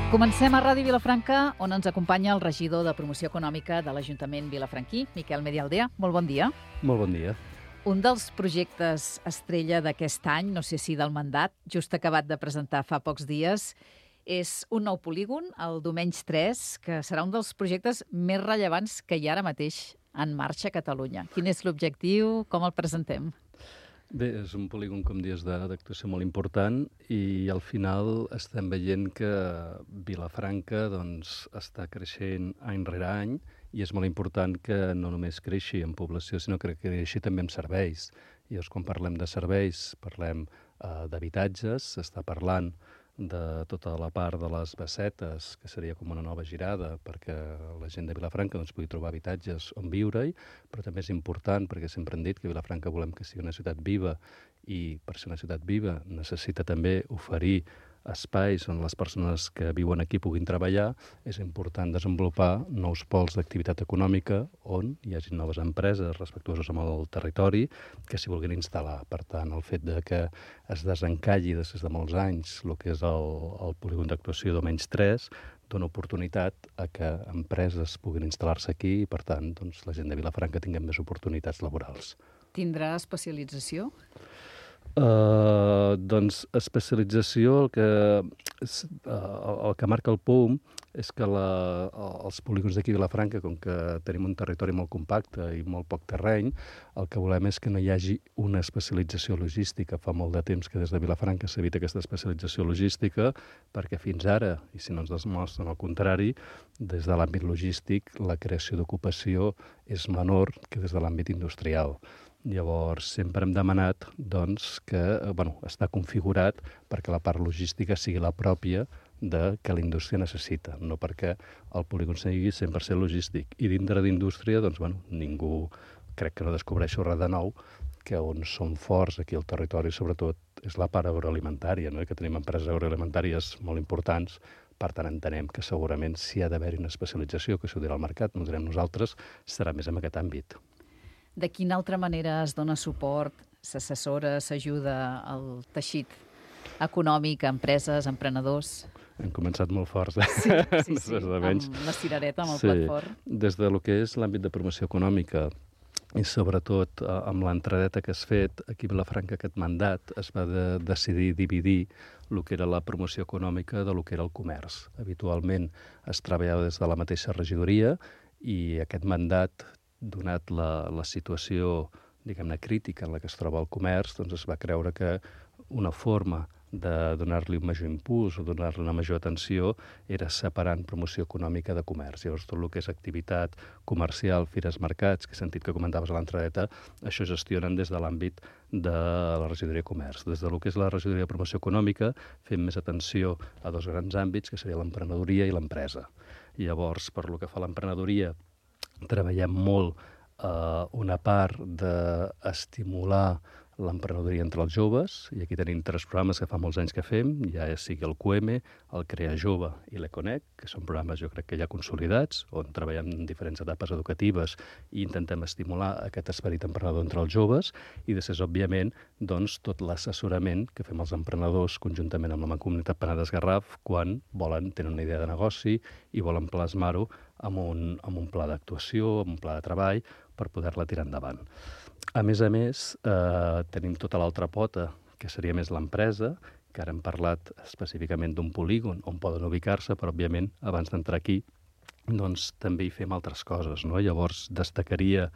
Comencem a Ràdio Vilafranca, on ens acompanya el regidor de Promoció Econòmica de l'Ajuntament vilafranquí, Miquel Medialdea. Molt bon dia. Molt bon dia. Un dels projectes estrella d'aquest any, no sé si del mandat, just acabat de presentar fa pocs dies, és un nou polígon, el Domenys 3, que serà un dels projectes més rellevants que hi ha ara mateix en marxa a Catalunya. Quin és l'objectiu? Com el presentem? Bé, és un polígon, com dius, d'actuació molt important i al final estem veient que Vilafranca està creixent any rere any i és molt important que no només creixi en població, sinó que creixi també en serveis. I llavors, quan parlem de serveis, parlem d'habitatges, s'està parlant de tota la part de les bassetes, que seria com una nova girada perquè la gent de Vilafranca pugui trobar habitatges on viure-hi, però també és important, perquè sempre hem dit que Vilafranca volem que sigui una ciutat viva i per ser una ciutat viva necessita també oferir espais on les persones que viuen aquí puguin treballar. És important desenvolupar nous pols d'activitat econòmica on hi hagi noves empreses respectuoses amb el territori que s'hi vulguin instal·lar. Per tant, el fet de que es desencalli després de molts anys el que és el polígon d'actuació Domenys 3 dona oportunitat a que empreses puguin instal·lar-se aquí i, per tant, la gent de Vilafranca tinguem més oportunitats laborals. Tindrà especialització? Especialització, el que marca el POUM és que els polígons d'aquí a Vilafranca, com que tenim un territori molt compacte i molt poc terreny, el que volem és que no hi hagi una especialització logística. Fa molt de temps que des de Vilafranca s'evita aquesta especialització logística perquè fins ara, i si no ens demostren el contrari, des de l'àmbit logístic la creació d'ocupació és menor que des de l'àmbit industrial. Llavors, sempre hem demanat que està configurat perquè la part logística sigui la pròpia que la indústria necessita, no perquè el polígon sigui 100% logístic. I dintre d'indústria, ningú, crec que no descobreixo res de nou, que on som forts aquí al territori, sobretot, és la part agroalimentària, no? Que tenim empreses agroalimentàries molt importants. Per tant, entenem que segurament si ha d'haver-hi una especialització, que s'ho dirà al mercat, no ho direm nosaltres, serà més en aquest àmbit. De quina altra manera es dona suport, s'assessora, s'ajuda al teixit econòmic, a empreses, a emprenedors? Hem començat molt forts, Sí, amb la cirereta, amb el plat fort. Des del que és l'àmbit de promoció econòmica i sobretot amb l'entradeta que has fet, aquí a Vilafranca aquest mandat es va decidir dividir el que era la promoció econòmica de lo que era el comerç. Habitualment es treballava des de la mateixa regidoria i aquest mandat, donat la situació, diguem-ne, crítica en la que es troba el comerç, es va creure que una forma de donar-li un major impuls o donar-li una major atenció era separant promoció econòmica de comerç. Llavors, tot el que és activitat comercial, fires, mercats, que he sentit que comentaves a l'entradeta, això gestionen des de l'àmbit de la regidoria de comerç. Des del que és la regidoria de promoció econòmica fem més atenció a dos grans àmbits, que seria l'emprenedoria i l'empresa. Llavors, per lo que fa a l'emprenedoria, treballem molt una part d'estimular l'emprenedoria entre els joves, i aquí tenim 3 programes que fa molts anys que fem, ja sigui el QM, el Crea Jove i l'Econec, que són programes jo crec que ja consolidats, on treballem en diferents etapes educatives i intentem estimular aquest esperit emprenedor entre els joves, i després, òbviament, tot l'assessorament que fem els emprenedors conjuntament amb la Mancomunitat Penedès Garraf quan tenen una idea de negoci i volen plasmar-ho amb un pla d'actuació, amb un pla de treball, per poder-la tirar endavant. A més, tenim tota l'altra pota, que seria més l'empresa, que ara hem parlat específicament d'un polígon on poden ubicar-se, però, òbviament, abans d'entrar aquí, també hi fem altres coses, no? Llavors, destacaria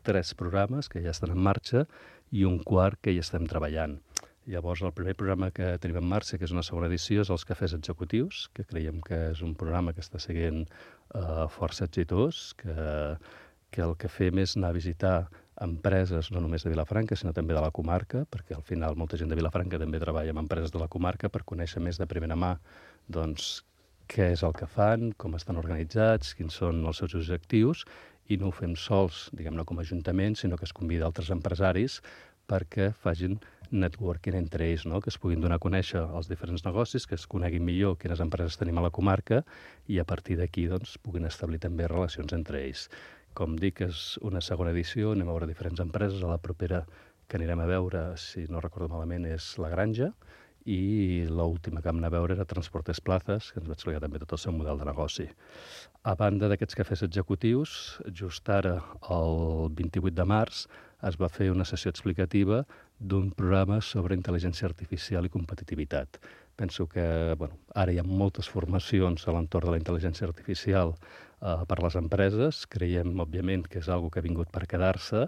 3 programes que ja estan en marxa i un quart que ja estem treballant. Llavors, el primer programa que tenim en marxa, que és una segona edició, és els cafès executius, que creiem que és un programa que està sent força exitós, que el que fem és anar a visitar empreses no només de Vilafranca, sinó també de la comarca, perquè al final molta gent de Vilafranca també treballa amb empreses de la comarca per conèixer més de primera mà què és el que fan, com estan organitzats, quins són els seus objectius, i no ho fem sols, diguem-ne, com a ajuntament, sinó que es convida altres empresaris perquè facin networking entre ells, no? Que es puguin donar a conèixer els diferents negocis, que es coneguin millor quines empreses tenim a la comarca i a partir d'aquí puguin establir també relacions entre ells. Com dic, és una segona edició, anem a veure diferents empreses. A la propera que anirem a veure, si no recordo malament, és La Granja, i l'última que vam anar a veure era Transportes Plazas, que ens va explicar també tot el seu model de negoci. A banda d'aquests cafès executius, just ara, el 28 de març, es va fer una sessió explicativa d'un programa sobre intel·ligència artificial i competitivitat. Penso que ara hi ha moltes formacions a l'entorn de la intel·ligència artificial per les empreses. Creiem, òbviament, que és una que ha vingut per quedar-se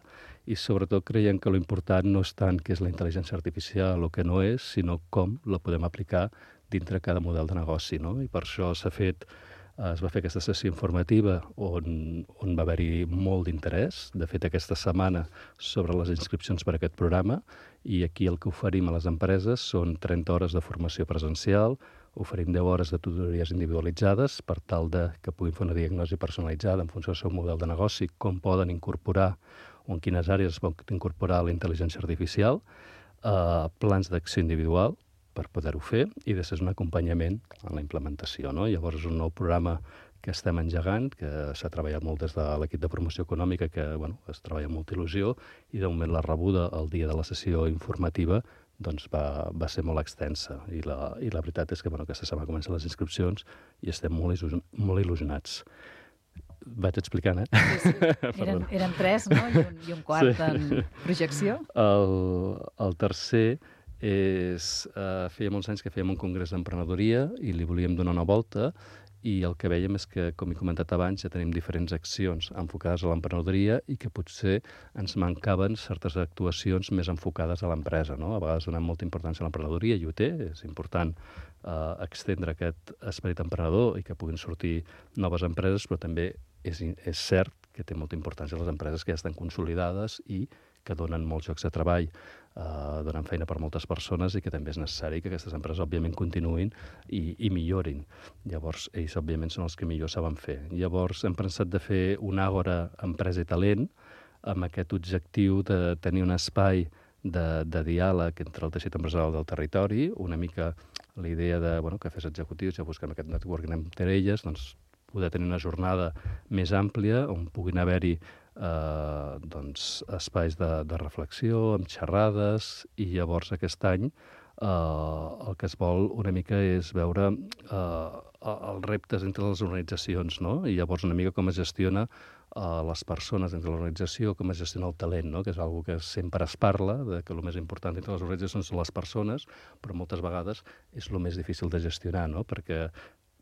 i, sobretot, creiem que l'important no és tant què és la intel·ligència artificial o què no és, sinó com la podem aplicar dintre cada model de negoci, no? I per això es va fer aquesta sessió informativa on va haver-hi molt d'interès. De fet, aquesta setmana sobre les inscripcions per a aquest programa, i aquí el que oferim a les empreses són 30 hores de formació presencial, oferim 10 hores de tutories individualitzades per tal que puguin fer una diagnosi personalitzada en funció del seu model de negoci, com poden incorporar o en quines àrees es pot incorporar la intel·ligència artificial, plans d'acció individual, per poder-ho fer, i després un acompanyament en la implementació, no? Llavors és un nou programa que estem engegant, que s'ha treballat molt des de l'equip de promoció econòmica, que es treballa amb molta il·lusió, i de moment la rebuda el dia de la sessió informativa va ser molt extensa. I la veritat és que aquesta setmana comencen les inscripcions i estem molt il·lusionats. Vaig explicant, Sí. Eren 3, no? I un quart en projecció. El tercer feia molts anys que fèiem un congrés d'emprenedoria i li volíem donar una volta, i el que veiem és que, com he comentat abans, ja tenim diferents accions enfocades a l'emprenedoria i que potser ens mancaven certes actuacions més enfocades a l'empresa, no? A vegades donem molta importància a l'emprenedoria, i ho té, és important extendre aquest esperit emprenedor i que puguin sortir noves empreses, però també és cert que té molta importància les empreses que ja estan consolidades i que donen molts llocs de treball, donen feina per moltes persones, i que també és necessari que aquestes empreses, òbviament, continuïn i millorin. Llavors, ells, òbviament, són els que millor saben fer. Llavors, hem pensat de fer un àgora empresa i talent amb aquest objectiu de tenir un espai de diàleg entre el teixit empresarial del territori, una mica la idea de cafès executius, ja busquem aquest networking entre elles, doncs poder tenir una jornada més àmplia on puguin haver-hi espais de reflexió, amb xerrades, i llavors aquest any el que es vol una mica és veure els reptes entre les organitzacions, no? I llavors una mica com es gestiona les persones entre l'organització, com es gestiona el talent, no? Que és una que sempre es parla, que el més important entre les organitzacions són les persones, però moltes vegades és el més difícil de gestionar, no? Perquè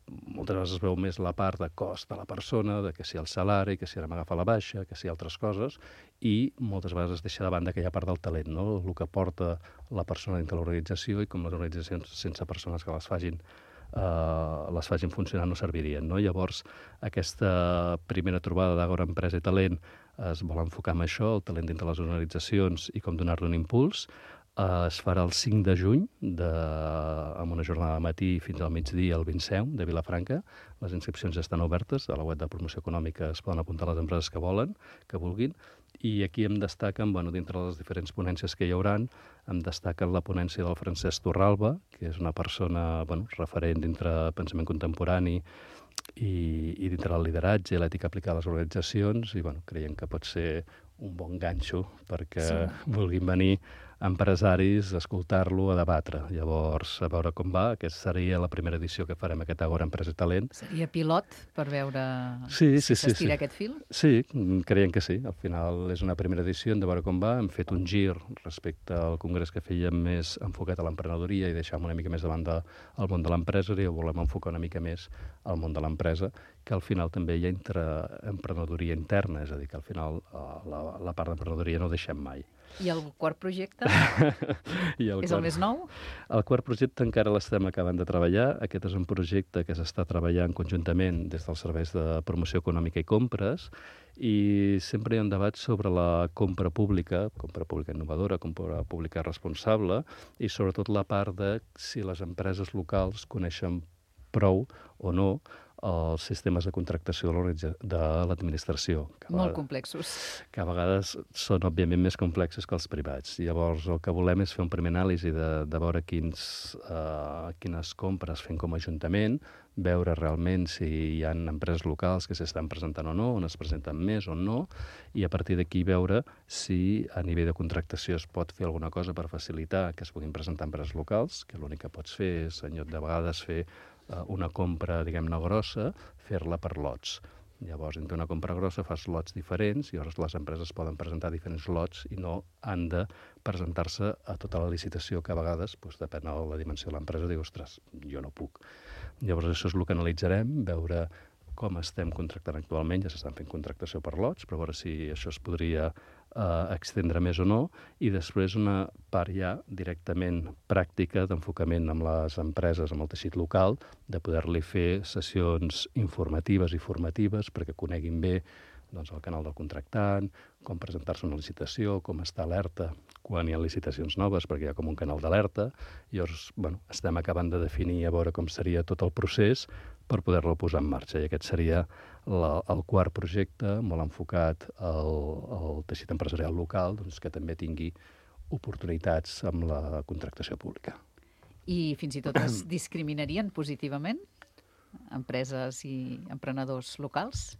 moltes vegades es veu més la part de cost de la persona, de que si el salari, que si ara m'agafa la baixa, que si altres coses, i moltes vegades es deixa de banda aquella part del talent, no? El que porta la persona dintre l'organització, i com les organitzacions sense persones que les facin funcionar no servirien, no? Llavors, aquesta primera trobada d'Àgora Empresa i Talent es vol enfocar en això, el talent dintre les organitzacions i com donar-li un impuls. Es farà el 5 de juny, amb una jornada de matí fins al migdia al Vinceum de Vilafranca. Les inscripcions ja estan obertes, a la web de promoció econòmica es poden apuntar les empreses que vulguin, i aquí em destaquen, dintre les diferents ponències que hi hauran, em destaquen la ponència del Francesc Torralba, que és una persona referent dintre pensament contemporani i dintre el lideratge i l'ètica aplicada a les organitzacions, i creiem que pot ser un bon ganxo perquè vulguin venir empresaris a escoltar-lo, a debatre. Llavors, a veure com va. Aquesta seria la primera edició que farem, aquest Àgora Empresa i Talent. Seria pilot per veure si s'estira aquest fil? Sí, creiem que sí. Al final és una primera edició, hem de veure com va. Hem fet un gir respecte al congrés que fèiem més enfocat a l'emprenedoria i deixàvem una mica més de banda el món de l'empresa, i ho volem enfocar una mica més al món de l'empresa, que al final també hi ha emprenedoria interna, és a dir, que al final la part d'emprenedoria no ho deixem mai. I el quart projecte? És el més nou? El quart projecte encara l'estem acabant de treballar. Aquest és un projecte que s'està treballant conjuntament des dels serveis de promoció econòmica i compres, i sempre hi ha un debat sobre la compra pública innovadora, compra pública responsable, i sobretot la part de si les empreses locals coneixen prou o no els sistemes de contractació de l'administració. Molt complexos. Que a vegades són, òbviament, més complexos que els privats. Llavors, el que volem és fer un primer anàlisi de veure quines compres fem com a Ajuntament, veure realment si hi ha empreses locals que s'estan presentant o no, on es presenten més o no, i a partir d'aquí veure si a nivell de contractació es pot fer alguna cosa per facilitar que es puguin presentar empreses locals, que l'únic que pots fer és, en lloc de vegades, fer una compra, diguem-ne, grossa, fer-la per lots. Llavors, entre una compra grossa fas lots diferents i llavors les empreses poden presentar diferents lots i no han de presentar-se a tota la licitació, que a vegades, depèn de la dimensió de l'empresa, diu, ostres, jo no puc. Llavors, això és el que analitzarem, veure com estem contractant actualment. Ja s'estan fent contractació per lots, però veure si això es podria extendre més o no, i després una part ja directament pràctica d'enfocament amb les empreses, amb el teixit local, de poder-li fer sessions informatives i formatives perquè coneguin bé el canal del contractant, com presentar-se a una licitació, com estar alerta quan hi ha licitacions noves, perquè hi ha com un canal d'alerta. Llavors, estem acabant de definir a veure com seria tot el procés per poder-lo posar en marxa. I aquest seria el quart projecte, molt enfocat al teixit empresarial local, que també tingui oportunitats amb la contractació pública. I fins i tot es discriminarien positivament empreses i emprenedors locals?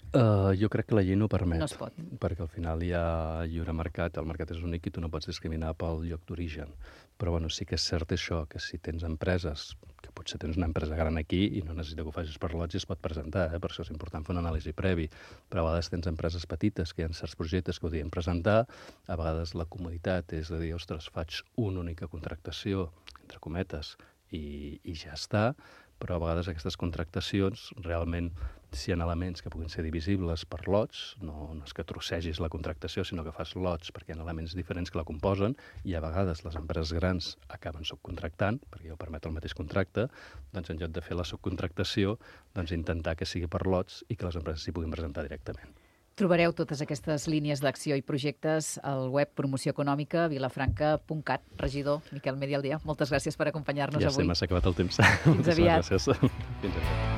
Jo crec que la llei no permet. No es pot. Perquè al final hi ha lliure mercat, el mercat és únic i tu no pots discriminar pel lloc d'origen. Però sí que és cert això, que si tens empreses, que potser tens una empresa gran aquí i no necessita que ho facis per lots i es pot presentar, per això és important fer una anàlisi previ. Però a vegades tens empreses petites que hi ha certs projectes que ho podien presentar, a vegades la comoditat és de dir, ostres, faig una única contractació, entre cometes, i ja està, però a vegades aquestes contractacions realment, si hi ha elements que puguin ser divisibles per lots, no és que trossegis la contractació, sinó que fas lots perquè hi ha elements diferents que la composen, i a vegades les empreses grans acaben subcontractant, perquè ja ho permet el mateix contracte, doncs en lloc de fer la subcontractació, intentar que sigui per lots i que les empreses s'hi puguin presentar directament. Trobareu totes aquestes línies d'acció i projectes al web Promoció Econòmica vilafranca.cat. Regidor Miquel Medialdea, moltes gràcies per acompanyar-nos avui. Ja m'ha acabat el temps. Fins aviat. Gràcies. Fins aviat.